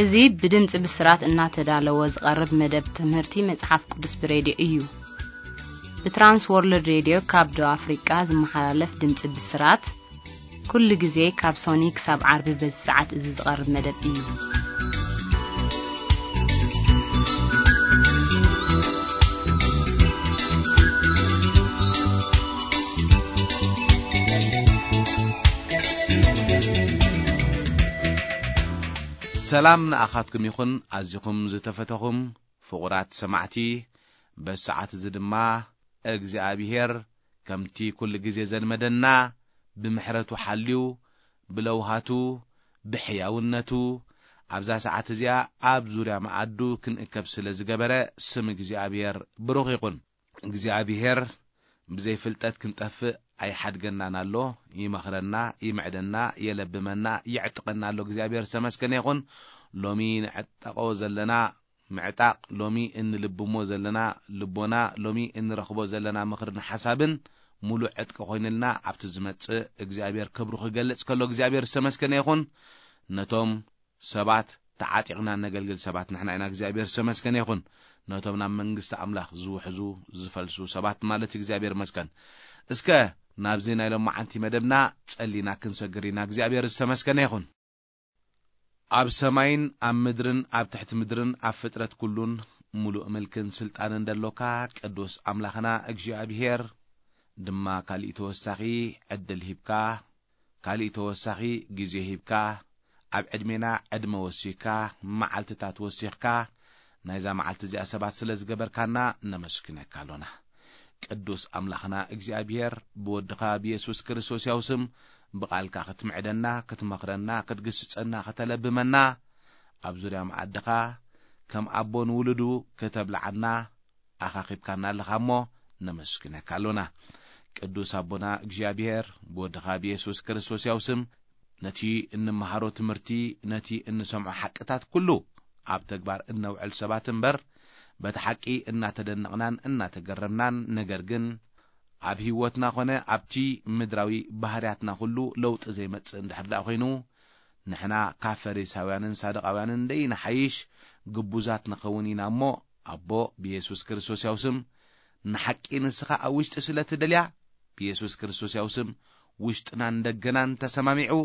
እዚ ብድምፂ ብስራት እናተዳለወ ዝቐርብ መደብ ትምህርቲ መጽሓፍ ቅዱስ ብሬድዮ እዩ። ብትራንስ ወርልድ ሬድዮ ካብ ደቡብ ኣፍሪቃ ዝመሓላለፍ ድምፂ ብስራት ኩሉ ግዜ ካብ ሶኒ ክሳብ ዓርቢ በዚ ሰዓት እዚ ዝቐርብ መደብ እዩ። ሰላም ንኣኻትኩም ይኹን፣ ኣዚኹም ዝተፈተኹም ፍቑራት ሰማዕቲ። በሰዓት እዚ ድማ እግዚኣብሔር ከምቲ ኩሉ ግዜ ዘልመደና ብምሕረቱ ሓልዩ፣ ብለውሃቱ፣ ብሕያውነቱ፣ ኣብዛ ሰዓት እዚኣ ኣብ ዙርያ መኣዱ ክንእከብ ስለ ዝገበረ ስም እግዚኣብሔር ብሩኽ ይኹን። እግዚኣብሔር ብዘይ ፍልጠት ክንጠፍእ ኣይሓድገናን ኣሎ። ይመኽረና፣ ይምዕደና፣ የለብመና፣ ይዕጥቐና ኣሎ። እግዚኣብሔር ዝተመስገነ ይኹን። ሎሚ ንዕጠቆ ዘለና ምዕጣቕ፣ ሎሚ እንልብሞ ዘለና ልቦና፣ ሎሚ እንረኽቦ ዘለና ምኽርን ሓሳብን ሙሉእ ዕጥቂ ኮይንልና ኣብቲ ዝመጽእ እግዚኣብሔር ክብሩ ክገልጽ ከሎ እግዚኣብሔር ዝተመስገነ ይኹን። ነቶም ሰባት ተዓጢቕና ነገልግል ሰባት ንሕና ኢና። እግዚኣብሔር ዝተመስገነ ይኹን። ነቶም ናብ መንግስቲ ኣምላኽ ዝውሕዙ ዝፈልሱ ሰባት ማለት እግዚኣብሔር መስገን። እስከ ናብዚ ናይ ሎማዓንቲ መደብና ጸሊና ክንሰግር ኢና። እግዚኣብሔር ዝተመስገነ ይኹን። ኣብ ሰማይን ኣብ ምድርን ኣብ ትሕቲ ምድርን ኣብ ፍጥረት ኩሉን ሙሉእ ምልክን ስልጣንን ደሎካ ቅዱስ ኣምላኽና እግዚኣብሔር ድማ ካሊእ ተወሳኺ ዕድል ሂብካ፣ ካሊእ ተወሳኺ ግዜ ሂብካ፣ ኣብ ዕድሜና ዕድመ ወሲኽካ፣ መዓልትታት ወሲኽካ፣ ናይዛ መዓልቲ እዚኣ ሰባት ስለ ዝገበርካና ነመስግነካ ኣሎና። ቅዱስ ኣምላኽና እግዚኣብሔር ብወድኻ ብየሱስ ክርስቶስ ያው ስም ብቓልካ ክትምዕደና፣ ክትመኽረና፣ ክትግስጸና፣ ከተለብመና፣ ኣብ ዙርያ መኣድኻ ከም ኣቦ ንውሉዱ ከተብልዓና ኣኻኺብካና ኣለኻ እሞ ነመስግነካ ኣሎና። ቅዱስ ኣቦና እግዚኣብሔር ብወድኻ ብየሱስ ክርስቶስ ያው ስም ነቲ እንመሃሮ ትምህርቲ፣ ነቲ እንሰምዖ ሓቅታት ኩሉ ኣብ ተግባር እነውዕል ሰባት እምበር፣ በቲ ሓቂ እናተደነቕናን እናተገረምናን፣ ነገር ግን ኣብ ህይወትና ኾነ ኣብቲ ምድራዊ ባህርያትና ኩሉ ለውጢ ዘይመጽእ እንድሕር ደኣ ኮይኑ፣ ንሕና ካብ ፈሪሳውያንን ሳዱቃውያንን ደይንሓይሽ ግቡዛት ንኸውን ኢና እሞ፣ ኣቦ ብየሱስ ክርስቶስ ያው ስም ንሓቂ ንስኻ ኣብ ውሽጢ ስለ ትደልያ፣ ብየሱስ ክርስቶስ ያው ስም ውሽጥናን ደገናን ተሰማሚዑ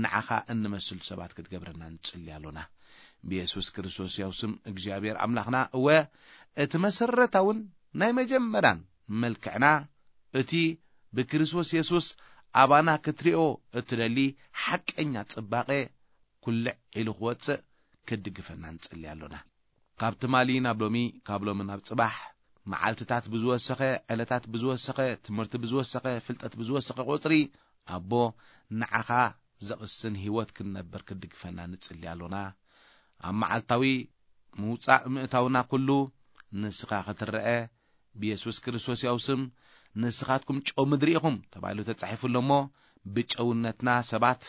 ንዓኻ እንመስል ሰባት ክትገብረና ንጽሊ ኣሎና። ብየሱስ ክርስቶስ ያው ስም እግዚኣብሔር ኣምላኽና፣ እወ እቲ መሰረታውን ናይ መጀመርያን መልክዕና፣ እቲ ብክርስቶስ የሱስ ኣባና ክትሪኦ እትደሊ ሓቀኛ ጽባቐ ኩልዕ ኢሉ ክወጽእ ክትድግፈና ንጽሊ ኣሎና። ካብ ትማሊ ናብ ሎሚ፣ ካብ ሎሚ ናብ ጽባሕ፣ መዓልትታት ብዝወሰኸ፣ ዕለታት ብዝወሰኸ፣ ትምህርቲ ብዝወሰኸ፣ ፍልጠት ብዝወሰኸ ቁጽሪ፣ ኣቦ ንዓኻ ዘቕስን ህይወት ክንነብር ክትድግፈና ንጽሊ ኣሎና። ኣብ መዓልታዊ ምውጻእ ምእታውና ኩሉ ንስኻ ክትረአ፣ ብየሱስ ክርስቶስ ያው ስም ንስኻትኩም ጨው ምድሪ ኢኹም ተባሂሉ ተጻሒፉ ኣሎ እሞ፣ ብጨውነትና ሰባት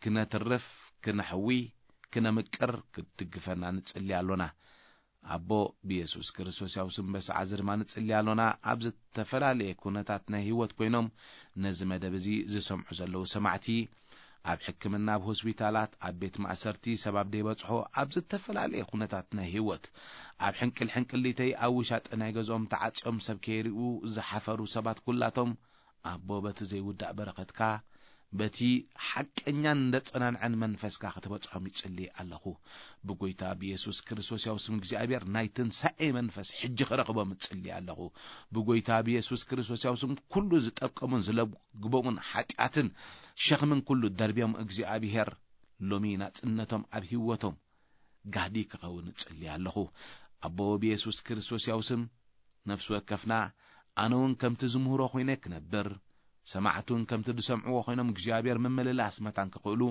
ክነትርፍ፣ ክነሕዊ፣ ክነምቅር ክትድግፈና ንጽሊ ኣሎና። ኣቦ ብየሱስ ክርስቶስ ያው ስም በሰዓት እዚ ድማ ንጽሊ ኣሎና። ኣብ ዝተፈላለየ ኩነታት ናይ ህይወት ኮይኖም ነዚ መደብ እዚ ዝሰምዑ ዘለዉ ሰማዕቲ፣ ኣብ ሕክምና፣ ኣብ ሆስፒታላት፣ ኣብ ቤት ማእሰርቲ፣ ሰብ ኣብ ደይበጽሖ፣ ኣብ ዝተፈላለየ ኩነታት ናይ ህይወት፣ ኣብ ሕንቅል ሕንቅሊተይ፣ ኣብ ውሻጠ ናይ ገዝኦም ተዓጽዮም ሰብ ከይርእዩ ዝሓፈሩ ሰባት ኩላቶም፣ ኣቦ በቲ ዘይውዳእ በረኸትካ፣ በቲ ሓቀኛን ዘጸናንዐን መንፈስካ ክትበጽሖም ይጽሊ ኣለኹ። ብጎይታ ብየሱስ ክርስቶስ ያው ስም እግዚኣብሔር ናይ ትንሳኤ መንፈስ ሕጂ ክረኽቦም እጽሊ ኣለኹ። ብጎይታ ብየሱስ ክርስቶስ ያው ስም ኩሉ ዝጠብቀሙን ዝለግቦሙን ሓጢኣትን ሸኽምን ኩሉ ደርብዮም እግዚኣብሔር ሎሚ ናጽነቶም ኣብ ህይወቶም ጋህዲ ክኸውን እጽሊ ኣለኹ። ኣቦ ብየሱስ ክርስቶስ ያው ስም ነፍሲ ወከፍና ኣነ እውን ከምቲ ዝምህሮ ኮይነ ክነብር፣ ሰማዕቱን ከምቲ ዝሰምዕዎ ኮይኖም እግዚኣብሔር ምምልላስ መታን ክኽእሉ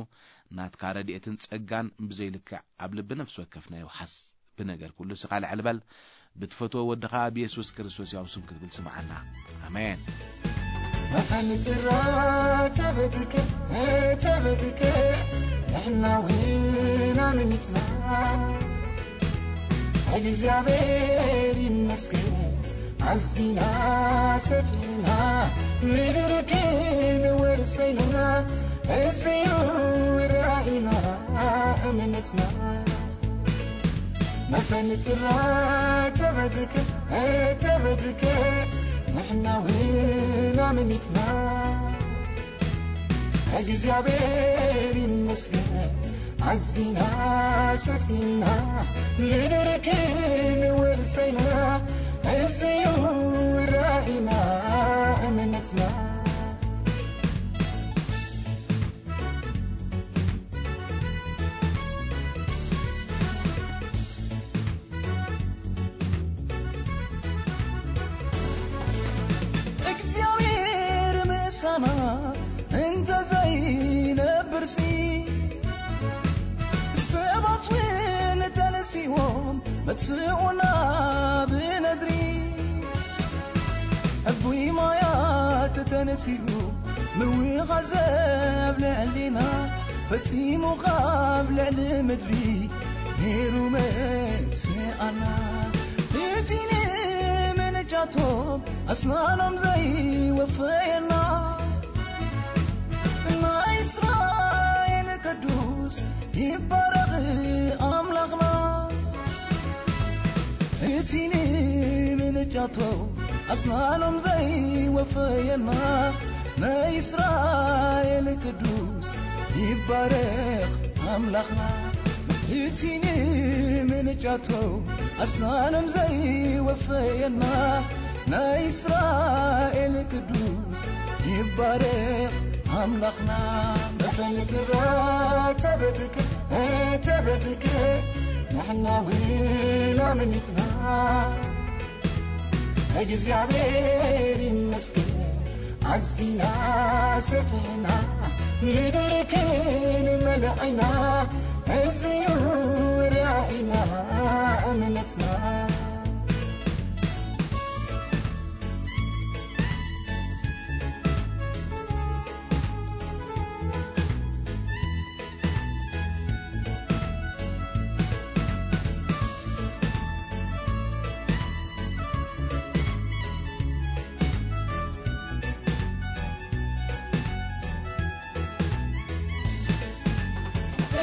ናትካ ረድኤትን ጸጋን ብዘይልክዕ ኣብ ልቢ ነፍሲ ወከፍና ይውሓስ። ብነገር ኩሉ ስኻ ልዕል በል። ብትፈትዎ ወድኻ ብየሱስ ክርስቶስ ያው ስም ክትብል ስምዓና። ኣሜን። መሓንጽራ ተበትከ፣ ተበትከ፣ ንሕና እውን ኣመኒትና። እግዚኣብሔር ይመስገን፣ ኣዚና ሰፊና፣ ምድር ክንወርስ ኢና፣ እዚዩ ራእይና፣ እምነትና። መፈንጥራ ተበድከ፣ ተበድከ፣ ንሕና እውን ኣመኒትና። እግዚኣብሔር ይመስገን፣ ኣዚና ሰሲና፣ ምድሪ ክንወርሰይና፣ እዚዩ ራእይና፣ እምነትና። እግዚኣብሔር ምሳና እንተዘይነብርሲ፣ ሰባት እውን ተነሲዎም መጥፍኡና ብነድሪ። ዕቡይ ማያት ተነሲኡ ምውኻዘ ኣብ ልዕሊና፣ ፈጺሙ ካብ ልዕሊ ምድሪ ነይሩ መጥፍኣና። እቲ ንምንጫቶም ኣስናኖም ዘይወፈየና፣ ናይ እስራኤል ቅዱስ ይባረኽ ኣምላኽና። እቲ ንምንጫቶም ኣስናኖም ዘይወፈየና፣ ናይ እስራኤል ቅዱስ ይባረኽ ኣምላኽና። እቲ ንምንጫቶም ኣስናኖም ዘይወፈየና፣ ናይ እስራኤል ቅዱስ ይባረኽ ኣምላኽና። መፈንጥራ ተበድከ፣ ተበድከ፣ ንሕና እውን ኣመኒትና። እግዚኣብሔር ይመስገን፣ ኣዚና ሰፊሕና፣ ምድሪ ክንመልእ ኢና፣ እዚዩ ራእይና፣ እምነትና።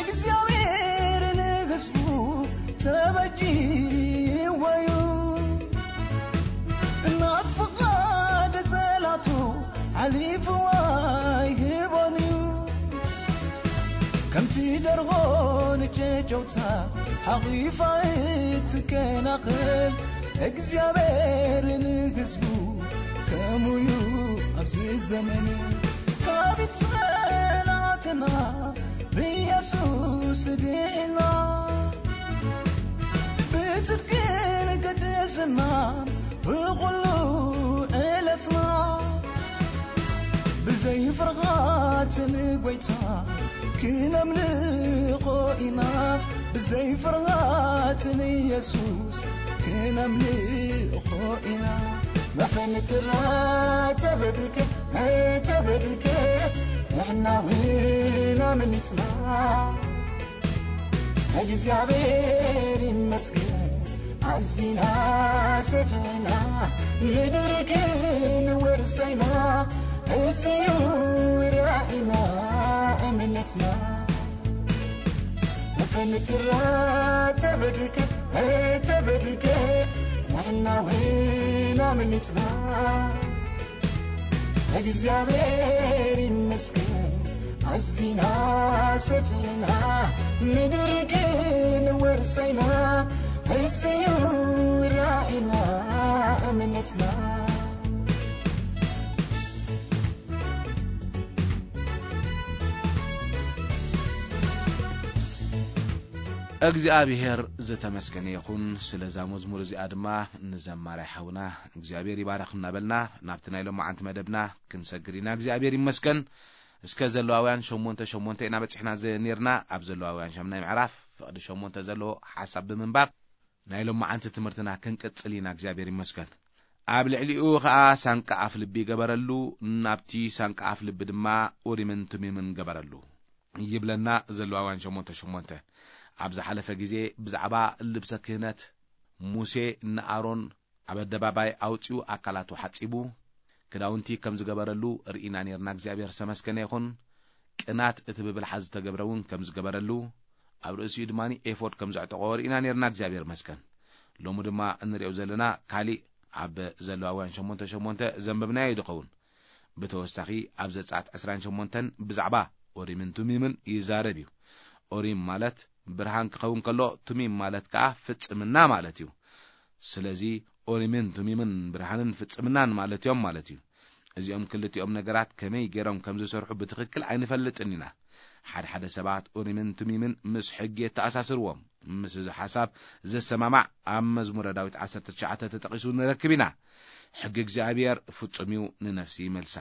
እግዚኣብሔር ንህዝቡ ተበጅዎ እዩ፣ ናብ ፍቓድ ጸላቱ ሓሊፉ ኣይህቦን እዩ። ከምቲ ደርሆ ንጨጨውታ ሓቒፋ እትከናኸን፣ እግዚኣብሔር ንህዝቡ ከምኡ እዩ ኣብዚ ዘመን። ካብ ጸላእትና ብኢየሱስ ድሒና፣ ብጽድቅን ቅድስናን ብኹሉ ዕለትና፣ ብዘይ ፍርሃት ንጎይታ ክነምልኾ ኢና፣ ብዘይ ፍርሃት ንኢየሱስ ክነምልኾ ኢና። መፈንጥራ ተበድከ፣ ተበድከ፣ ንሕና እውን ኣመኒትና። እግዚኣብሔር ይመስገን፣ ኣዚና ሰፊሕና፣ ምድሪ ክንወርሰይና፣ እዚዩ ራእይና፣ እምነትና። መፈንጥራ ተበድከ፣ ተበድከ፣ ንሕና እውን ኣመኒትና። እግዚኣብሔር ይመስገን፣ ኣዚና ሰፊሕና፣ ምድሪ ክንወርሰይና፣ እዚዩ ራእይና፣ እምነትና። እግዚኣብሔር ዝተመስገነ ይኹን። ስለዛ መዝሙር እዚኣ ድማ ንዘማራይ ሓውና እግዚኣብሔር ይባረኽ እናበልና ናብቲ ናይ ሎማዓንቲ መደብና ክንሰግር ኢና። እግዚኣብሔር ይመስገን። እስከ ዘለዋውያን ሸሞንተ ሸሞንተ ኢና በጺሕና ዘ-፣ ኔርና። ኣብ ዘለዋውያን ሸምናይ ምዕራፍ ፍቕዲ ሸሞንተ ዘለዎ ሓሳብ ብምንባብ ናይ ሎማዓንቲ ትምህርትና ክንቅጽል ኢና። እግዚኣብሔር ይመስገን። ኣብ ልዕሊኡ ኸኣ ሳንቃ ኣፍ ልቢ ገበረሉ፣ ናብቲ ሳንቃ ኣፍ ልቢ ድማ ኡሪምን ቱሚምን ገበረሉ። ይብለና ዘለዋውያን ሸሞንተ ሸሞንተ። ኣብ ዝሓለፈ ግዜ ብዛዕባ ልብሰ ክህነት ሙሴ ንኣሮን ኣብ ኣደባባይ ኣውጺኡ ኣካላቱ ሓጺቡ፣ ክዳውንቲ ከም ዝገበረሉ ርኢና ኔርና። እግዚኣብሔር ዝተመስገነ ይኹን። ቅናት እቲ ብብልሓ ዝተገብረ እውን ከም ዝገበረሉ፣ ኣብ ርእሲኡ ድማ ኤፎድ ከም ዘዕጠቖ ርኢና ነርና። እግዚኣብሔር መስከን። ሎሚ ድማ እንሪኦ ዘለና ካሊእ ኣብ ዘለዋውያን ሸሞንተ ሸሞንተ ዘንበብናዮ እዩ ዝኸውን። ብተወሳኺ ኣብ ዘጸኣት ዕስራን ሸሞንተን ብዛዕባ ኦሪምን ቱሚምን ይዛረብ እዩ። ኦሪም ማለት ብርሃን ክኸውን ከሎ፣ ቱሚም ማለት ከኣ ፍጽምና ማለት እዩ። ስለዚ ኦሪምን ቱሚምን ብርሃንን ፍጽምናን ማለት እዮም ማለት እዩ። እዚኦም ክልቲኦም ነገራት ከመይ ገይሮም ከም ዝሰርሑ ብትኽክል ኣይንፈልጥን ኢና። ሓድሓደ ሰባት ኡሪምን ቱሚምን ምስ ሕጊ የተኣሳስርዎም። ምስ እዚ ሓሳብ ዘሰማማዕ ኣብ መዝሙረ ዳዊት ዓሰርተ ትሽዓተ ተጠቒሱ ንረክብ ኢና። ሕጊ እግዚኣብሔር ፍጹም እዩ፣ ንነፍሲ ይመልሳ።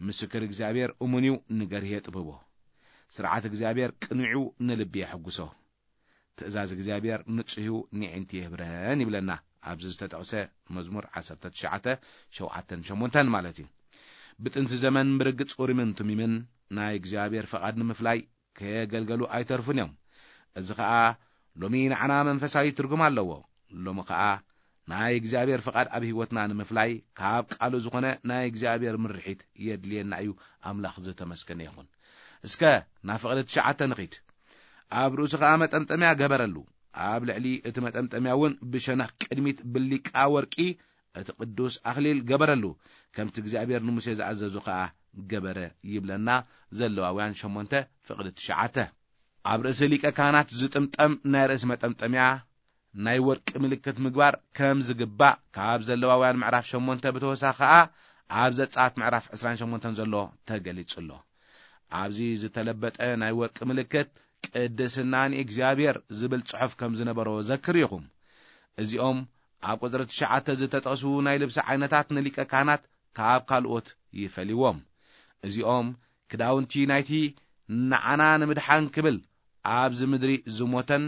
ምስክር እግዚኣብሔር እሙን እዩ፣ ንገርሂ የጥብቦ። ስርዓት እግዚኣብሔር ቅኑዕ እዩ፣ ንልቢ የሐጉሶ። ትእዛዝ እግዚኣብሔር ንጹህ እዩ፣ ንዒንቲ የህብረን ይብለና ኣብዚ ዝተጠቕሰ መዝሙር ዓሰርተ ትሽዓተ ሸውዓተን ሸሞንተን ማለት እዩ። ብጥንቲ ዘመን ብርግጽ ኡሪምን ቱሚምን ናይ እግዚኣብሔር ፈቓድ ንምፍላይ ከየገልገሉ ኣይተርፉን እዮም። እዚ ኸኣ ሎሚ ንዓና መንፈሳዊ ትርጉም ኣለዎ። ሎሚ ኸኣ ናይ እግዚኣብሔር ፍቓድ ኣብ ህይወትና ንምፍላይ ካብ ቃሉ ዝኾነ ናይ እግዚኣብሔር ምርሒት የድልየና እዩ። ኣምላኽ ዝተመስገነ ይኹን። እስከ ናብ ፍቕዲ ትሽዓተ ንኺድ። ኣብ ርእሱ ኸኣ መጠምጠምያ ገበረሉ። ኣብ ልዕሊ እቲ መጠምጠምያ እውን ብሸነኽ ቅድሚት ብሊቃ ወርቂ እቲ ቅዱስ ኣኽሊል ገበረሉ። ከምቲ እግዚኣብሔር ንሙሴ ዝኣዘዞ ኸኣ ገበረ ይብለና። ዘለዋውያን ሸሞንተ ፍቕዲ ትሽዓተ። ኣብ ርእሲ ሊቀ ካህናት ዝጥምጠም ናይ ርእሲ መጠምጠምያ ናይ ወርቂ ምልክት ምግባር ከም ዝግባእ ካብ ዘለዋውያን ምዕራፍ ሸሞንተ ብተወሳኺ ኸኣ ኣብ ዘጸኣት ምዕራፍ ዕስራን ሸሞንተን ዘሎ ተገሊጹ ኣሎ። ኣብዚ ዝተለበጠ ናይ ወርቂ ምልክት ቅድስና ንእግዚኣብሔር ዝብል ጽሑፍ ከም ዝነበሮ ዘክር ኢኹም። እዚኦም ኣብ ቁጽሪ ትሽዓተ ዝተጠቕሱ ናይ ልብሲ ዓይነታት ንሊቀ ካህናት ካብ ካልኦት ይፈልይዎም። እዚኦም ክዳውንቲ ናይቲ ንዓና ንምድሓን ክብል ኣብዚ ምድሪ ዝሞተን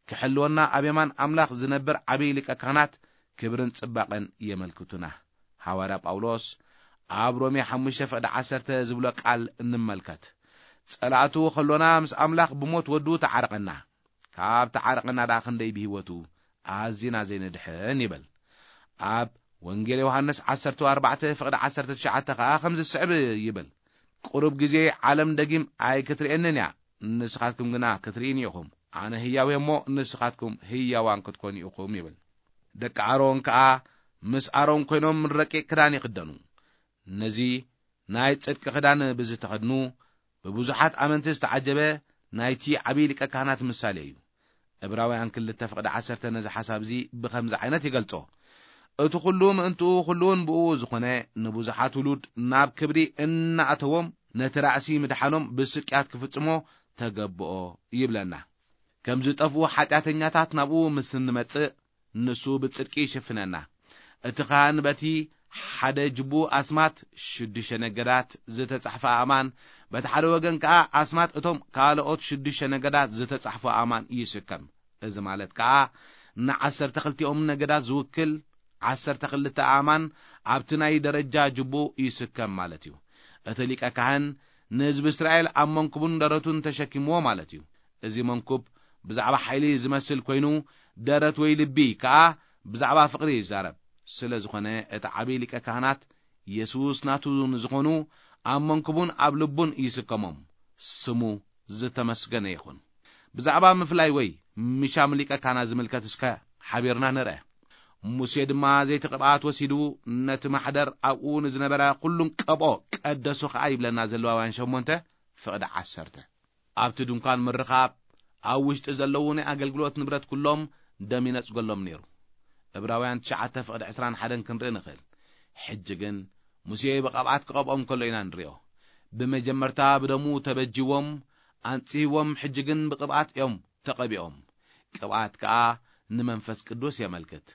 ክሕልወና ኣብ የማን ኣምላኽ ዝነብር ዓብዪ ሊቀ ካህናት ክብርን ጽባቐን የመልክቱና። ሃዋርያ ጳውሎስ ኣብ ሮሜ ሓሙሽተ ፍቕዲ ዓሰርተ ዝብሎ ቃል እንመልከት። ጸላእቱ ከሎና ምስ ኣምላኽ ብሞት ወዱ ተዓረቐና። ካብ ተዓረቐና ደኣ ክንደይ ብህይወቱ ኣዚና ዘይንድሕን ይብል። ኣብ ወንጌል ዮሃንስ ዓሰርተ ኣርባዕተ ፍቕዲ ዓሰርተ ትሽዓተ ኸኣ ከምዚ ዝስዕብ ይብል። ቁሩብ ግዜ ዓለም ደጊም ኣይክትርእየንን እያ፣ ንስኻትኩም ግና ክትርእይኒ ኢኹም። ኣነ ህያው እየ እሞ ንስኻትኩም ህያዋን ክትኮኑ ኢኹም ይብል። ደቂ ኣሮን ከኣ ምስ ኣሮን ኮይኖም ረቂቕ ክዳን ይኽደኑ። ነዚ ናይ ጽድቂ ክዳን ብዝተኸድኑ ብብዙሓት ኣመንቲ ዝተዓጀበ ናይቲ ዓብዪ ሊቀ ካህናት ምሳሌ እዩ። ዕብራውያን ክልተ ፍቕዲ ዓሰርተ ነዚ ሓሳብ እዚ ብኸምዚ ዓይነት ይገልጾ። እቲ ኹሉ ምእንትኡ ኹሉውን ብእኡ ዝኾነ ንብዙሓት ውሉድ ናብ ክብሪ እናእተዎም ነቲ ራእሲ ምድሓኖም ብስቅያት ክፍጽሞ ተገብኦ ይብለና። ከም ዝጠፍኡ ሓጢኣተኛታት ናብኡ ምስ እንመጽእ ንሱ ብጽድቂ ይሽፍነና። እቲ ኻህን በቲ ሓደ ጅቡ ኣስማት ሽዱሽተ ነገዳት ዝተጻሕፈ ኣእማን፣ በቲ ሓደ ወገን ከኣ ኣስማት እቶም ካልኦት ሽዱሽተ ነገዳት ዝተጻሕፈ ኣእማን ይስከም። እዚ ማለት ከኣ ንዓሰርተ ክልቲኦም ነገዳት ዝውክል ዓሰርተ ክልተ ኣእማን ኣብቲ ናይ ደረጃ ጅቡ ይስከም ማለት እዩ። እቲ ሊቀ ካህን ንህዝቢ እስራኤል ኣብ መንኩቡን ደረቱን ተሸኪምዎ ማለት እዩ። እዚ መንኩብ ብዛዕባ ሓይሊ ዝመስል ኮይኑ፣ ደረት ወይ ልቢ ከኣ ብዛዕባ ፍቕሪ ይዛረብ። ስለ ዝኾነ እቲ ዓብዪ ሊቀ ካህናት የሱስ ናቱ ንዝኾኑ ኣብ መንኩቡን ኣብ ልቡን ይስከሞም። ስሙ ዝተመስገነ ይኹን። ብዛዕባ ምፍላይ ወይ ምሻም ሊቀ ካህናት ዝምልከት እስከ ሓቢርና ንርአ። ሙሴ ድማ ዘይቲ ቅብኣት ወሲዱ ነቲ ማሕደር ኣብኡ ንዝነበረ ኩሉን ቀብኦ ቀደሶ ኸኣ ይብለና ዘለዋውያን ሸሞንተ ፍቕዲ ዓሰርተ። ኣብቲ ድንኳን ምርኻብ ኣብ ውሽጢ ዘለዉ ናይ ኣገልግሎት ንብረት ኩሎም ደም ይነጽገሎም ነይሩ። ዕብራውያን ትሽዓተ ፍቕዲ ዕስራን ሓደን ክንርኢ ንኽእል። ሕጂ ግን ሙሴ ብቐብኣት ክቐብኦም ከሎ ኢና ንሪኦ። ብመጀመርታ ብደሙ ተበጅዎም ኣንጽህዎም፣ ሕጂ ግን ብቕብኣት እዮም ተቐቢኦም። ቅብኣት ከኣ ንመንፈስ ቅዱስ የመልክት።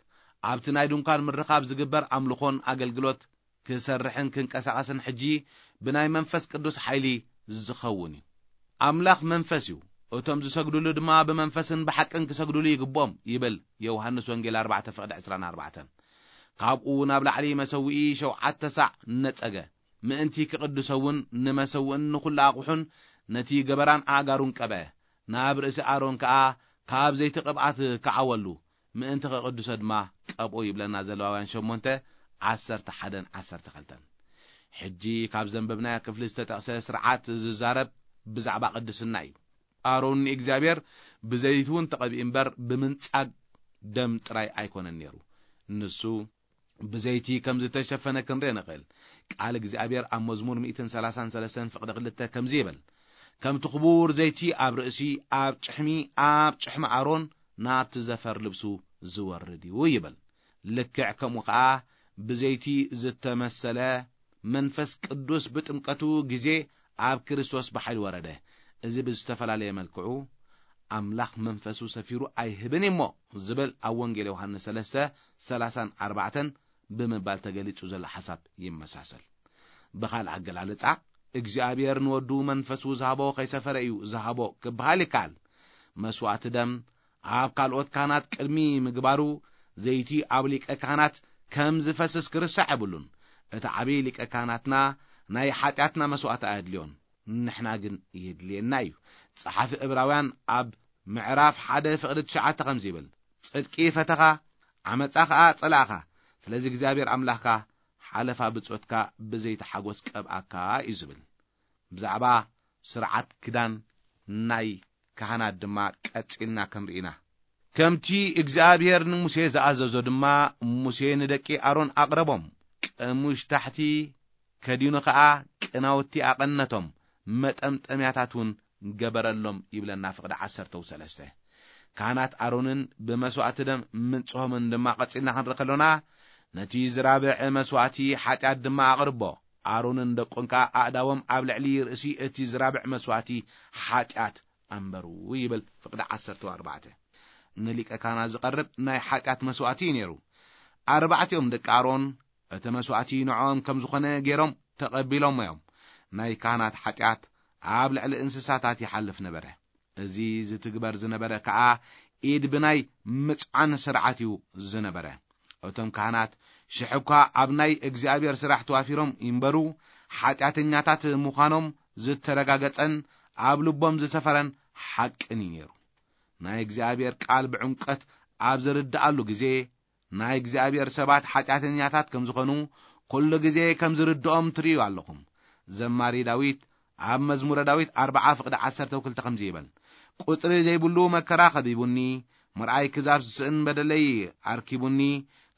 ኣብቲ ናይ ድንኳን ምርኻብ ዝግበር ኣምልኾን ኣገልግሎት ክሰርሕን ክንቀሳቐስን ሕጂ ብናይ መንፈስ ቅዱስ ሓይሊ ዝኸውን እዩ። ኣምላኽ መንፈስ እዩ፣ እቶም ዝሰግዱሉ ድማ ብመንፈስን ብሓቅን ክሰግዱሉ ይግብኦም ይብል ዮሃንስ ወንጌል ኣርባዕተ ፍቕዲ ዕስራን ኣርባዕተን። ካብኡ ናብ ላዕሊ መሰውኢ ሸውዓተ ሳዕ ነጸገ፣ ምእንቲ ክቕድሶ እውን ንመሰውእን ንኹሉ ኣቑሑን ነቲ ገበራን ኣእጋሩን ቀብአ። ናብ ርእሲ ኣሮን ከኣ ካብ ዘይቲ ቅብኣት ከዓወሉ፣ ምእንቲ ክቕድሶ ድማ ቀብኦ ይብለና ዘለዋውያን ሸሞንተ ዓሰርተ ሓደን ዓሰርተ ክልተን። ሕጂ ካብ ዘንበብናዮ ክፍሊ ዝተጠቕሰ ስርዓት ዝዛረብ ብዛዕባ ቅድስና እዩ። ኣሮን ንእግዚኣብሔር ብዘይቲ እውን ተቐቢኡ እምበር ብምንጻግ ደም ጥራይ ኣይኮነን ነይሩ። ንሱ ብዘይቲ ከም ዝተሸፈነ ክንርኢ ንኽእል። ቃል እግዚኣብሔር ኣብ መዝሙር ሚእትን ሰላሳን ሰለስተን ፍቕዲ ክልተ ከምዚ ይብል፣ ከምቲ ክቡር ዘይቲ ኣብ ርእሲ፣ ኣብ ጭሕሚ፣ ኣብ ጭሕሚ ኣሮን ናብቲ ዘፈር ልብሱ ዝወርድ እዩ ይብል። ልክዕ ከምኡ ኸዓ ብዘይቲ ዝተመሰለ መንፈስ ቅዱስ ብጥምቀቱ ግዜ ኣብ ክርስቶስ ብሓይሊ ወረደ። እዚ ብዝተፈላለየ መልክዑ ኣምላኽ መንፈሱ ሰፊሩ ኣይህብን እሞ ዝብል ኣብ ወንጌል ዮሃንስ ሰለስተ ሰላሳን ኣርባዕተን ብምባል ተገሊጹ ዘሎ ሓሳብ ይመሳሰል። ብኻልእ ኣገላልጻ፣ እግዚኣብሔር ንወዱ መንፈሱ ዝሃቦ ከይሰፈረ እዩ ዝሃቦ ክበሃል ይከኣል። መስዋዕቲ ደም ኣብ ካልኦት ካህናት ቅድሚ ምግባሩ፣ ዘይቲ ኣብ ሊቀ ካህናት ከም ዝፈስስ ክርሳዕ የብሉን። እቲ ዓብዪ ሊቀ ካህናትና ናይ ሓጢኣትና መስዋዕቲ ኣየድልዮን፣ ንሕና ግን የድልየና እዩ። ጸሓፊ ዕብራውያን ኣብ ምዕራፍ ሓደ ፍቕዲ ትሽዓተ ከምዚ ይብል፣ ጽድቂ ፈተኻ፣ ዓመጻ ኸኣ ጸላእኻ፣ ስለዚ እግዚኣብሔር ኣምላኽካ ሓለፋ ብጾትካ ብዘይቲ ሓጎስ ቀብኣካ እዩ ዝብል። ብዛዕባ ስርዓት ክዳን ናይ ካህናት ድማ ቀጺልና ክንርኢ ኢና። ከምቲ እግዚኣብሔር ንሙሴ ዝኣዘዞ ድማ፣ ሙሴ ንደቂ ኣሮን ኣቕረቦም፣ ቀሙሽ ታሕቲ ከዲኑ ኸኣ ቅናውቲ ኣቐነቶም፣ መጠምጠምያታት እውን ገበረሎም ይብለና ፍቕዲ ዓሰርተ ሰለስተ። ካህናት ኣሮንን ብመስዋዕቲ ደም ምንጽሆምን ድማ ቀጺልና ክንርኢ ከሎና፣ ነቲ ዝራብዕ መስዋዕቲ ሓጢኣት ድማ ኣቕርቦ። ኣሮንን ደቁን ከኣ ኣእዳዎም ኣብ ልዕሊ ርእሲ እቲ ዝራብዕ መስዋዕቲ ሓጢኣት ኣንበሩ ይብል ፍቕዲ ዓሰርተ ኣርባዕተ። ንሊቀ ካህናት ዝቐርብ ናይ ሓጢኣት መስዋዕቲ እዩ ነይሩ። ኣርባዕቲኦም ደቂ ኣሮን እቲ መስዋዕቲ ንዕኦም ከም ዝኾነ ገይሮም ተቐቢሎሞ እዮም። ናይ ካህናት ሓጢኣት ኣብ ልዕሊ እንስሳታት ይሓልፍ ነበረ። እዚ ዝትግበር ዝነበረ ከኣ ኢድ ብናይ ምጽዓን ስርዓት እዩ ዝነበረ። እቶም ካህናት ሽሕ እኳ ኣብ ናይ እግዚኣብሔር ስራሕ ተዋፊሮም ይንበሩ፣ ሓጢኣተኛታት ምዃኖም ዝተረጋገጸን ኣብ ልቦም ዝሰፈረን ሓቅን እዩ ነይሩ። ናይ እግዚኣብሔር ቃል ብዕምቀት ኣብ ዝርድኣሉ ግዜ፣ ናይ እግዚኣብሔር ሰባት ሓጢኣተኛታት ከም ዝኾኑ ኩሉ ግዜ ከም ዝርድኦም ትርእዩ ኣለኹም። ዘማሪ ዳዊት ኣብ መዝሙረ ዳዊት ኣርብዓ ፍቕዲ ዓሰርተ ክልተ ከምዚ ይብል፣ ቁጽሪ ዘይብሉ መከራ ከቢቡኒ፣ ምርኣይ ክዛብ ዝስእን በደለይ ኣርኪቡኒ፣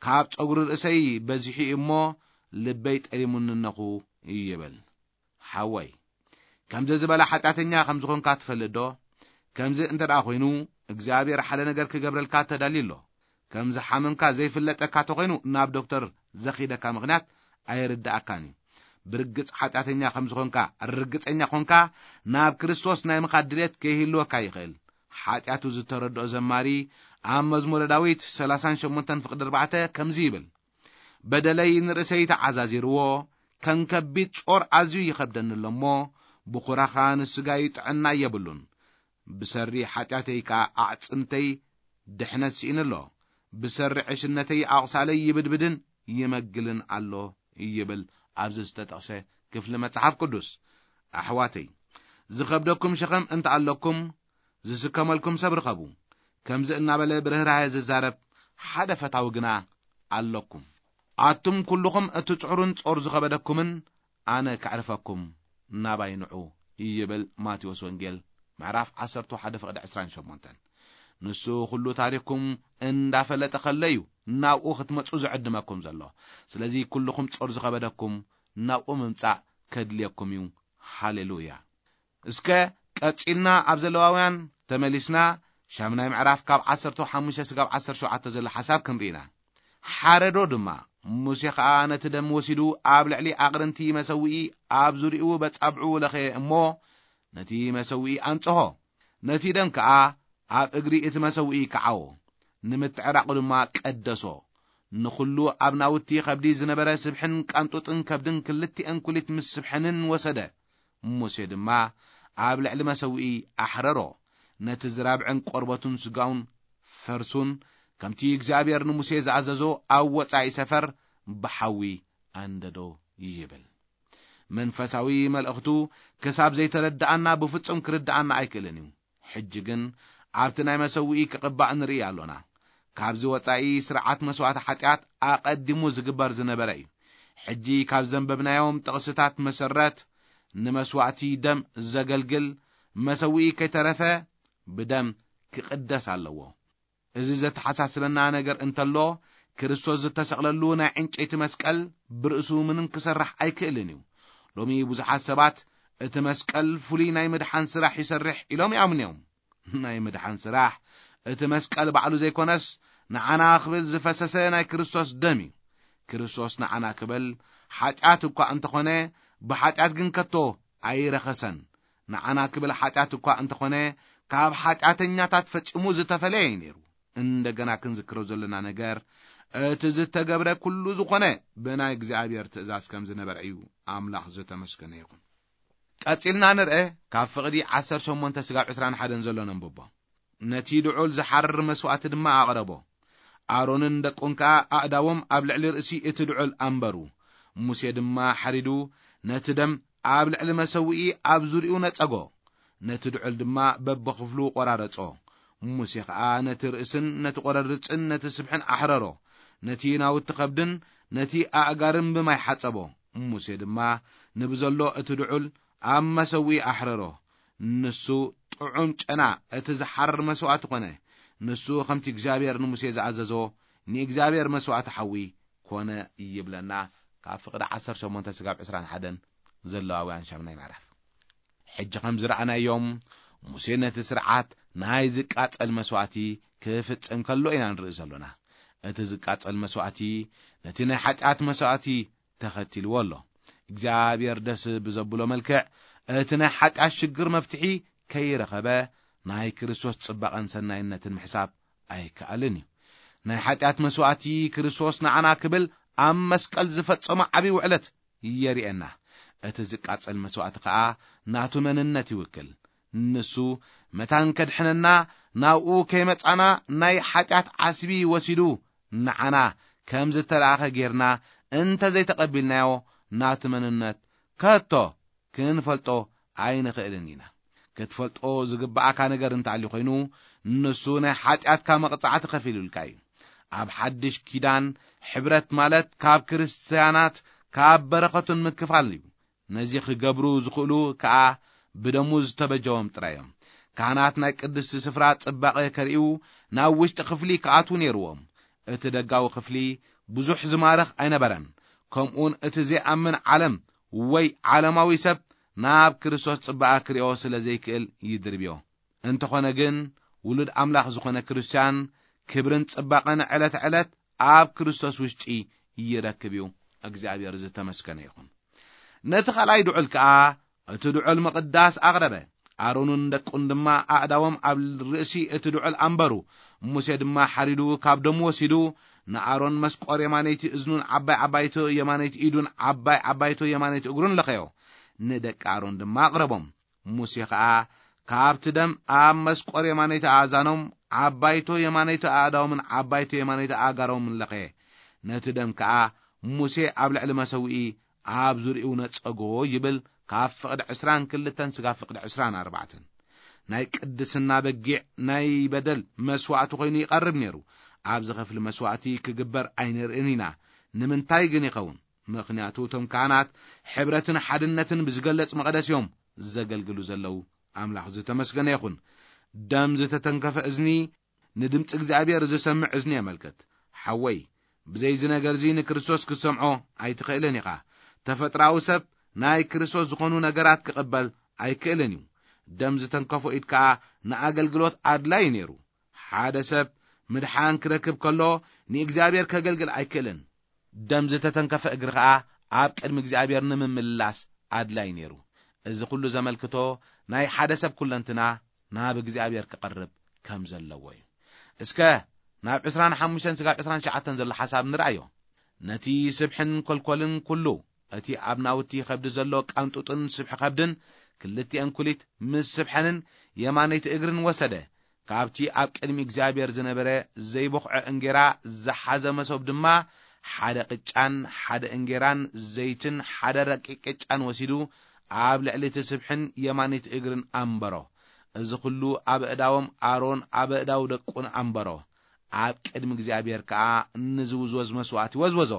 ካብ ጸጉሪ ርእሰይ በዚሑ እዩ እሞ፣ ልበይ ጠሊሙኒ እነኹ ይብል። ሓወይ፣ ከምዚ ዝበለ ሓጢኣተኛ ከም ዝኾንካ ትፈልጥ ዶ? ከምዚ እንተ ደኣ ኮይኑ፣ እግዚኣብሔር ሓደ ነገር ክገብረልካ ተዳልዩ ኣሎ። ከም ዝሓመምካ ዘይፍለጠካ ተኾይኑ፣ ናብ ዶክተር ዘኺደካ ምኽንያት ኣይርድኣካን እዩ። ብርግጽ ሓጢኣተኛ ከም ዝኾንካ ርግጸኛ ኾንካ፣ ናብ ክርስቶስ ናይ ምኻድ ድሌት ከይህልወካ ይኽእል። ሓጢኣቱ ዝተረድኦ ዘማሪ ኣብ መዝሙረ ዳዊት ሰላሳን ሸሞንተን ፍቕዲ ኣርባዕተ ከምዚ ይብል፣ በደለይ ንርእሰይ ተዓዛዚርዎ፣ ከም ከቢድ ጾር ኣዝዩ ይኸብደኒ ኣሎ እሞ፣ ብኹራኻ ንስጋይ ጥዕና የብሉን። ብሰሪ ሓጢኣተይ ከኣ ኣዕጽምተይ ድሕነት ስኢኑ ኣሎ። ብሰሪ ዕሽነተይ ኣቑሳለይ ይብድብድን ይመግልን ኣሎ ይብል ኣብዚ ዝተጠቕሰ ክፍሊ መጽሓፍ ቅዱስ። ኣሕዋተይ፣ ዝኸብደኩም ሸኸም እንተ ኣለኩም፣ ዝስከመልኩም ሰብ ርኸቡ። ከምዚ እናበለ ብርህራሄ ዝዛረብ ሓደ ፈታዊ ግና ኣለኩም። ኣቱም ኩልኹም እትጽዕሩን ጾር ዝኸበደኩምን ኣነ ከዕርፈኩም፣ ናባይ ንዑ ይብል ማቴዎስ ወንጌል ምዕራፍ ዓሰርተ ሓደ ፍቕዲ ዕስራን ሸሞንተን። ንሱ ኩሉ ታሪኽኩም እንዳፈለጠ ከሎ እዩ ናብኡ ክትመጹ ዝዕድመኩም ዘሎ። ስለዚ ኩልኹም ጾር ዝኸበደኩም ናብኡ ምምጻእ ከድልየኩም እዩ። ሃሌሉያ። እስከ ቀጺልና ኣብ ዘለዋውያን ተመሊስና ሻምናይ ምዕራፍ ካብ ዓሰርተ ሓሙሽተ ስጋብ ዓሰርተ ሸውዓተ ዘሎ ሓሳብ ክንርኢና። ሓረዶ ድማ፣ ሙሴ ኸኣ ነቲ ደም ወሲዱ ኣብ ልዕሊ ኣቕርንቲ መሰውኢ ኣብ ዙሪኡ በጻብዑ ለኸየ እሞ ነቲ መሰውኢ ኣንጽሆ። ነቲ ደም ከኣ ኣብ እግሪ እቲ መሰውኢ ከዓዎ፣ ንምትዕራቑ ድማ ቀደሶ። ንኹሉ ኣብ ናውቲ ኸብዲ ዝነበረ ስብሕን ቃንጡጥን ከብድን ክልቲአን ኩሊት ምስ ስብሐንን ወሰደ። ሙሴ ድማ ኣብ ልዕሊ መሰውኢ ኣሕረሮ። ነቲ ዝራብዕን ቆርበቱን ስጋውን ፈርሱን ከምቲ እግዚኣብሔር ንሙሴ ዝኣዘዞ ኣብ ወጻኢ ሰፈር ብሓዊ ኣንደዶ ይብል። መንፈሳዊ መልእኽቱ ክሳብ ዘይተረድኣና ብፍጹም ክርድኣና ኣይክእልን እዩ። ሕጂ ግን ኣብቲ ናይ መሰውኢ ክቕባእ ንርኢ ኣሎና። ካብዚ ወጻኢ ስርዓት መስዋእቲ ሓጢኣት ኣቐዲሙ ዝግበር ዝነበረ እዩ። ሕጂ ካብ ዘንበብናዮም ጥቕስታት መሰረት ንመስዋእቲ ደም ዘገልግል መሰውኢ ከይተረፈ ብደም ክቕደስ ኣለዎ። እዚ ዘተሓሳስበና ነገር እንተሎ፣ ክርስቶስ ዝተሰቕለሉ ናይ ዕንጨይቲ መስቀል ብርእሱ ምንም ክሰርሕ ኣይክእልን እዩ። ሎሚ ብዙሓት ሰባት እቲ መስቀል ፍሉይ ናይ ምድሓን ስራሕ ይሰርሕ ኢሎም ይኣምኑ እዮም። ናይ ምድሓን ስራሕ እቲ መስቀል ባዕሉ ዘይኮነስ፣ ንዓና ክብል ዝፈሰሰ ናይ ክርስቶስ ደም እዩ። ክርስቶስ ንዓና ክብል ሓጢኣት እኳ እንተኾነ፣ ብሓጢኣት ግን ከቶ ኣይረኸሰን። ንዓና ክብል ሓጢኣት እኳ እንተኾነ፣ ካብ ሓጢኣተኛታት ፈጺሙ ዝተፈለየ እዩ ነይሩ። እንደገና ክንዝክሮ ዘለና ነገር፣ እቲ ዝተገብረ ኩሉ ዝኾነ ብናይ እግዚኣብሔር ትእዛዝ ከም ዝነበረ እዩ። ኣምላኽ ዝተመስገነ ይኹን። ቀጺልና ንርአ፣ ካብ ፍቕዲ ዓሰርተ ሸሞንተ ስጋብ ዕስራን ሓደን ዘሎ ነንብቦ። ነቲ ድዑል ዝሓርር መስዋእቲ ድማ ኣቕረቦ። ኣሮንን ደቁን ከኣ ኣእዳዎም ኣብ ልዕሊ ርእሲ እቲ ድዑል ኣንበሩ። ሙሴ ድማ ሓሪዱ ነቲ ደም ኣብ ልዕሊ መሰውኢ ኣብ ዙርያኡ ነጸጎ። ነቲ ድዑል ድማ በብኽፍሉ ቖራረጾ። ሙሴ ኸኣ ነቲ ርእስን ነቲ ቖረርጽን ነቲ ስብሕን ኣሕረሮ። ነቲ ናውቲ ኸብድን ነቲ ኣእጋርን ብማይ ሓጸቦ። ሙሴ ድማ ንብዘሎ እቲ ድዑል ኣብ መሰውኢ ኣሕረሮ። ንሱ ጥዑም ጨና እቲ ዝሓርር መስዋእቲ ኾነ። ንሱ ኸምቲ እግዚኣብሔር ንሙሴ ዝኣዘዞ ንእግዚኣብሔር መስዋእቲ ሓዊ ኮነ ይብለና። ካብ ፍቕዲ ዓሰርተ ሸሞንተ ስጋብ ዕስራን ሓደን ዘለዋውያን ሻምናይ ምዕራፍ። ሕጂ ከም ዝረኣናዮም፣ ሙሴ ነቲ ስርዓት ናይ ዝቃጸል መስዋእቲ ክፍጽም ከሎ ኢና ንርኢ ዘሎና። እቲ ዝቃጸል መስዋእቲ ነቲ ናይ ሓጢኣት መስዋእቲ ተኸቲልዎ ኣሎ። እግዚኣብሔር ደስ ብዘብሎ መልክዕ እቲ ናይ ሓጢኣት ሽግር መፍትሒ ከይረኸበ፣ ናይ ክርስቶስ ጽባቐን ሰናይነትን ምሕሳብ ኣይከኣልን እዩ። ናይ ሓጢኣት መስዋእቲ ክርስቶስ ንዓና ክብል ኣብ መስቀል ዝፈጸሞ ዓቢ ውዕለት የርእየና። እቲ ዝቃጸል መስዋእቲ ከኣ ናቱ መንነት ይውክል። ንሱ መታን ከድሕነና ናብኡ ከይመጻና ናይ ሓጢኣት ዓስቢ ወሲዱ ንዓና ከም ዝተላእኸ ጌርና እንተ ዘይተቐቢልናዮ፣ ናቱ መንነት ከቶ ክንፈልጦ ኣይንኽእልን ኢና። ክትፈልጦ ዝግብኣካ ነገር እንተኣልዩ ኮይኑ፣ ንሱ ናይ ሓጢኣትካ መቕጻዕቲ ከፊሉልካ እዩ። ኣብ ሓድሽ ኪዳን ሕብረት ማለት ካብ ክርስትያናት ካብ በረኸቱን ምክፋል እዩ። ነዚ ክገብሩ ዝኽእሉ ከኣ ብደሙ ዝተበጀዎም ጥራይ እዮም። ካህናት ናይ ቅድስቲ ስፍራ ጽባቐ ከርእዩ ናብ ውሽጢ ክፍሊ ክኣትዉ ነይርዎም። እቲ ደጋዊ ክፍሊ ብዙሕ ዝማርኽ ኣይነበረን። ከምኡውን እቲ ዘይኣምን ዓለም ወይ ዓለማዊ ሰብ ናብ ክርስቶስ ጽባቐ ክርእዮ ስለ ዘይክእል ይድርብዮ። እንተኾነ ግን፣ ውሉድ ኣምላኽ ዝኾነ ክርስትያን ክብርን ጽባቐን ዕለት ዕለት ኣብ ክርስቶስ ውሽጢ ይረክብ እዩ። እግዚኣብሔር ዝተመስገነ ይኹን። ነቲ ኻልኣይ ድዑል ከኣ እቲ ድዑል ምቕዳስ ኣቕረበ። ኣሮንን ደቁን ድማ ኣእዳዎም ኣብ ርእሲ እቲ ድዑል ኣንበሩ። ሙሴ ድማ ሓሪዱ ካብ ደሙ ወሲዱ ንኣሮን መስቆር የማነይቲ እዝኑን ዓባይ ዓባይቶ የማነይቲ ኢዱን ዓባይ ዓባይቶ የማነይቲ እግሩን ለኸዮ። ንደቂ ኣሮን ድማ ኣቕረቦም። ሙሴ ኸኣ ካብቲ ደም ኣብ መስቆር የማነይቲ ኣእዛኖም ዓባይቶ የማነይቲ ኣእዳዎምን ዓባይቶ የማነይቲ ኣእጋሮምን ለኸየ። ነቲ ደም ከኣ ሙሴ ኣብ ልዕሊ መሰውኢ ኣብ ዙርያኡ ነጸጎ ይብል፣ ካብ ፍቕዲ ዕስራን ክልተን ስጋብ ፍቕዲ ዕስራን ኣርባዕተን። ናይ ቅድስና በጊዕ ናይ በደል መስዋእቲ ኮይኑ ይቐርብ ነይሩ። ኣብዚ ኽፍሊ መስዋእቲ ክግበር ኣይንርእን ኢና። ንምንታይ ግን ይኸውን? ምኽንያቱ እቶም ካህናት ሕብረትን ሓድነትን ብዝገለጽ መቕደስ እዮም ዘገልግሉ ዘለዉ። ኣምላኽ ዝተመስገነ ይኹን። ደም ዝተተንከፈ እዝኒ ንድምፂ እግዚኣብሔር ዝሰምዕ እዝኒ የመልክት። ሓወይ፣ ብዘይዚ ነገርዚ ንክርስቶስ ክትሰምዖ ኣይትኽእልን ኢኻ። ተፈጥራዊ ሰብ ናይ ክርስቶስ ዝኾኑ ነገራት ክቕበል ኣይክእልን እዩ። ደም ዝተንከፎ ኢድ ከኣ ንኣገልግሎት ኣድላይ ነይሩ። ሓደ ሰብ ምድሓን ክረክብ ከሎ ንእግዚኣብሔር ከገልግል ኣይክእልን። ደም ዝተተንከፈ እግሪ ኸኣ ኣብ ቅድሚ እግዚኣብሔር ንምምላስ ኣድላይ ነይሩ። እዚ ኹሉ ዘመልክቶ ናይ ሓደ ሰብ ኩለንትና ናብ እግዚኣብሔር ክቐርብ ከም ዘለዎ እዩ። እስከ ናብ ዕስራን ሓሙሽተን ስጋብ ዕስራን ትሽዓተን ዘሎ ሓሳብ ንርኣዮ። ነቲ ስብሕን ኮልኮልን ኩሉ፣ እቲ ኣብ ናውቲ ኸብዲ ዘሎ ቃንጡጥን ስብሒ ኸብድን፣ ክልቲኤን ኩሊት ምስ ስብሐንን የማነይቲ እግርን ወሰደ። ካብቲ ኣብ ቅድሚ እግዚኣብሔር ዝነበረ ዘይቦኽዐ እንጌራ ዝሓዘ መሶብ ድማ ሓደ ቅጫን ሓደ እንጌራን ዘይትን ሓደ ረቂቕ ቅጫን ወሲዱ ኣብ ልዕሊ እቲ ስብሕን የማነይቲ እግርን ኣንበሮ። እዚ ኹሉ ኣብ ኣእዳዎም ኣሮን ኣብ ኣእዳው ደቁን ኣንበሮ። ኣብ ቅድሚ እግዚኣብሔር ከኣ ንዝውዝወዝ መስዋእቲ ወዝወዞ።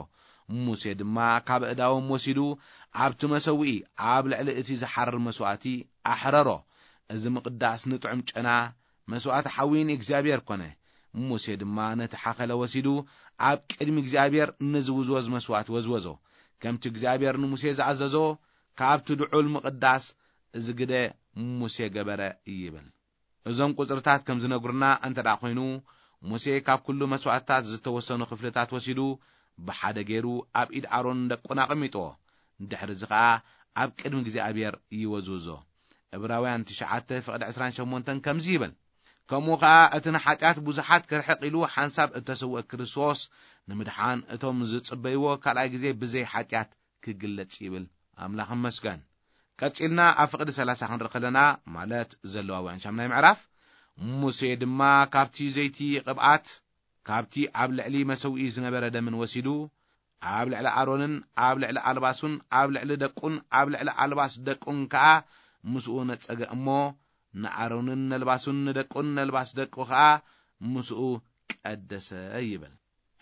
ሙሴ ድማ ካብ ኣእዳዎም ወሲዱ ኣብቲ መሰውኢ ኣብ ልዕሊ እቲ ዝሓርር መስዋእቲ ኣሕረሮ። እዚ ምቕዳስ ንጥዑም ጨና መስዋእቲ ሓዊ ንእግዚኣብሔር ኮነ። ሙሴ ድማ ነቲ ሓኸለ ወሲዱ ኣብ ቅድሚ እግዚኣብሔር ንዝውዝወዝ መስዋእቲ ወዝወዞ። ከምቲ እግዚኣብሔር ንሙሴ ዝኣዘዞ ካብቲ ድዑል ምቕዳስ እዚ ግደ ሙሴ ገበረ ይብል። እዞም ቁጽርታት ከም ዝነግሩና እንተ ደኣ ኮይኑ፣ ሙሴ ካብ ኩሉ መስዋእትታት ዝተወሰኑ ክፍልታት ወሲዱ ብሓደ ገይሩ ኣብ ኢድ ኣሮን ደቁን ኣቐሚጥዎ። ድሕሪ እዚ ኸኣ ኣብ ቅድሚ እግዚኣብሔር ይወዝውዞ። ዕብራውያን ትሽዓተ ፍቕዲ ዕስራን ሸሞንተን ከምዚ ይብል፣ ከምኡ ኸኣ እቲ ንሓጢኣት ብዙሓት ክርሕቕ ኢሉ ሓንሳብ እተሰውአ ክርስቶስ ንምድሓን እቶም ዝጽበይዎ ካልኣይ ግዜ ብዘይ ሓጢኣት ክግለጽ ይብል። ኣምላኽ ይመስገን። ቀጺልና ኣብ ፍቕዲ ሰላሳ ክንርኢ ከለና፣ ማለት ዘለዋውያን ሻምናይ ምዕራፍ፣ ሙሴ ድማ ካብቲ ዘይቲ ቅብኣት፣ ካብቲ ኣብ ልዕሊ መሰውኢ ዝነበረ ደምን ወሲዱ፣ ኣብ ልዕሊ ኣሮንን ኣብ ልዕሊ ኣልባሱን ኣብ ልዕሊ ደቁን ኣብ ልዕሊ ኣልባስ ደቁን ከኣ ምስኡ ነጸገ እሞ፣ ንኣሮንን ነልባሱን ንደቁን ነልባስ ደቁ ከኣ ምስኡ ቀደሰ ይብል።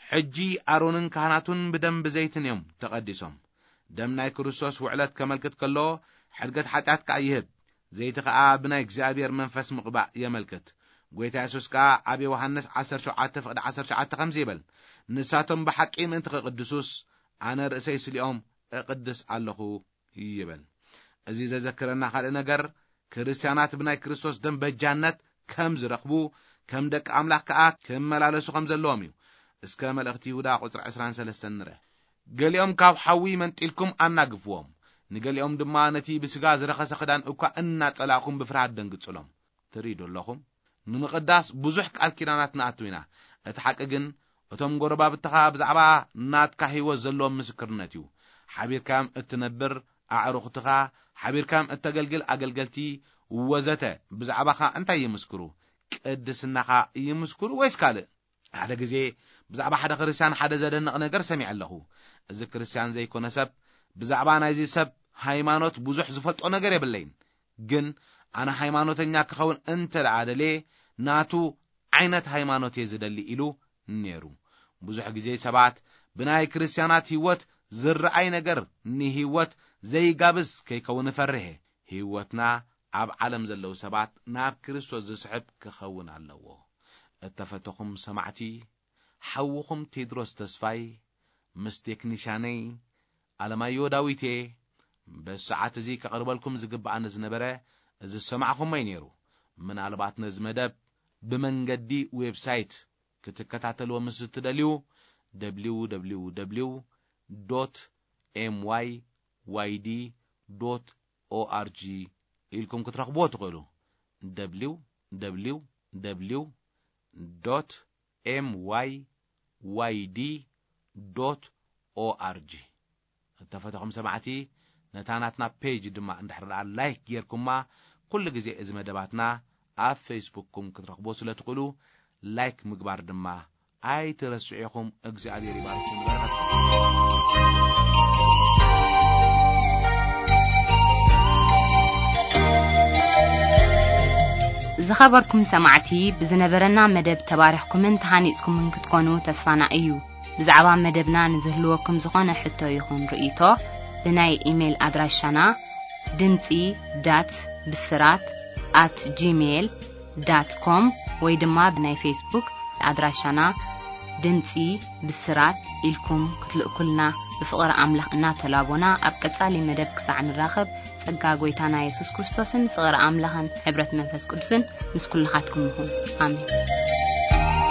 ሕጂ ኣሮንን ካህናቱን ብደም ብዘይትን እዮም ተቐዲሶም። ደም ናይ ክርስቶስ ውዕለት ከመልክት ከሎ፣ ሕድገት ሓጢኣት ከኣ ይህብ። ዘይቲ ከኣ ብናይ እግዚኣብሔር መንፈስ ምቕባእ የመልክት። ጐይታ የሱስ ከኣ ኣብ ዮሃንስ ዓሰርተ ሸውዓተ ፍቕዲ ዓሰርተ ሸውዓተ ከምዚ ይብል፣ "ንሳቶም ብሓቂ ምእንቲ ክቕድሱስ፣ ኣነ ርእሰይ ስሊኦም እቕድስ ኣለኹ" ይብል። እዚ ዘዘክረና ካልእ ነገር፣ ክርስትያናት ብናይ ክርስቶስ ደም በጃነት ከም ዝረኽቡ፣ ከም ደቂ ኣምላኽ ከኣ ክመላለሱ ከም ዘለዎም እዩ። እስከ መልእኽቲ ይሁዳ ቁጽሪ ዕስራን ሰለስተን ንርአ። "ገሊኦም ካብ ሓዊ መንጢልኩም ኣናግፍዎም፣ ንገሊኦም ድማ ነቲ ብስጋ ዝረኸሰ ክዳን እኳ እናጸላእኩም ብፍርሃት ደንግጽሎም።" ትርእዩ ዶ ኣለኹም? ንምቕዳስ ብዙሕ ቃል ኪዳናት ንኣቱ ኢና። እቲ ሓቂ ግን፣ እቶም ጎረባብትኻ ብዛዕባ ናትካ ህይወት ዘለዎም ምስክርነት እዩ። ሓቢርካዮም እትነብር ኣዕሩኽትኻ፣ ሓቢርካዮም እተገልግል ኣገልገልቲ፣ ወዘተ፣ ብዛዕባኻ እንታይ ይምስክሩ? ቅድስናኻ ይምስክሩ ወይስ ካልእ? ሓደ ግዜ ብዛዕባ ሓደ ክርስትያን ሓደ ዘደንቕ ነገር ሰሚዐ ኣለኹ። እዚ ክርስትያን ዘይኮነ ሰብ፣ ብዛዕባ ናይዚ ሰብ ሃይማኖት ብዙሕ ዝፈልጦ ነገር የብለይን። ግን ኣነ ሃይማኖተኛ ክኸውን እንተ ደኣ ደልየ፣ ናቱ ዓይነት ሃይማኖት እየ ዝደሊ ኢሉ ነይሩ። ብዙሕ ግዜ ሰባት ብናይ ክርስትያናት ህይወት ዝረኣይ ነገር ንህይወት ዘይጋብዝ ከይከውን እፈርህ እየ። ህይወትና ኣብ ዓለም ዘለዉ ሰባት ናብ ክርስቶስ ዝስሕብ ክኸውን ኣለዎ። እተፈተኹም ሰማዕቲ፣ ሓውኹም ቴድሮስ ተስፋይ ምስ ቴክኒሻነይ ኣለማዮ ዳዊት እየ። በዚ ሰዓት እዚ ከቕርበልኩም ዝግብኣኒ ዝነበረ እዚ ዝሰማዕኹሞ እዩ ነይሩ። ምናልባት ነዚ መደብ ብመንገዲ ዌብሳይት ክትከታተልዎ ምስ እትደልዩ፣ ደብሊው ደብሊው ደብሊው ዶት ኤም ዋይ ዋይ ዲ ዶት ኦ ኣር ጂ ኢልኩም ክትረኽብዎ ትኽእሉ። ደብሊው ደብሊው ደብሊው ዶት ኤም ዋይ ዋይ ዲ ዶት ኦ ኣር ጂ። እተፈተኹም ሰማዕቲ፣ ነታ ናትና ፔጅ ድማ እንድሕር ደኣ ላይክ ጌርኩማ፣ ኩሉ ግዜ እዚ መደባትና ኣብ ፌስቡክኩም ክትረኽብዎ ስለ ትኽእሉ፣ ላይክ ምግባር ድማ ኣይትረስዑ ኢኹም። እግዚኣብሔር ይባርኩም፣ ይባርካትኩም። ዝኸበርኩም ሰማዕቲ፣ ብዝነበረና መደብ ተባሪኽኩምን ተሃኒጽኩምን ክትኮኑ ተስፋና እዩ። ብዛዕባ መደብና ንዝህልወኩም ዝኾነ ሕቶ ይኹን ርእይቶ፣ ብናይ ኢሜይል ኣድራሻና ድምጺ ዳት ብስራት ኣት ጂሜይል ዳት ኮም ወይ ድማ ብናይ ፌስቡክ ኣድራሻና ድምጺ ብስራት ኢልኩም ክትልእኩልና ብፍቕሪ ኣምላኽ እናተላቦና፣ ኣብ ቀጻሊ መደብ ክሳዕ ንራኸብ፣ ጸጋ ጐይታና የሱስ ክርስቶስን ፍቕሪ ኣምላኽን ሕብረት መንፈስ ቅዱስን ምስ ኩልኻትኩም ይኹን። ኣሜን።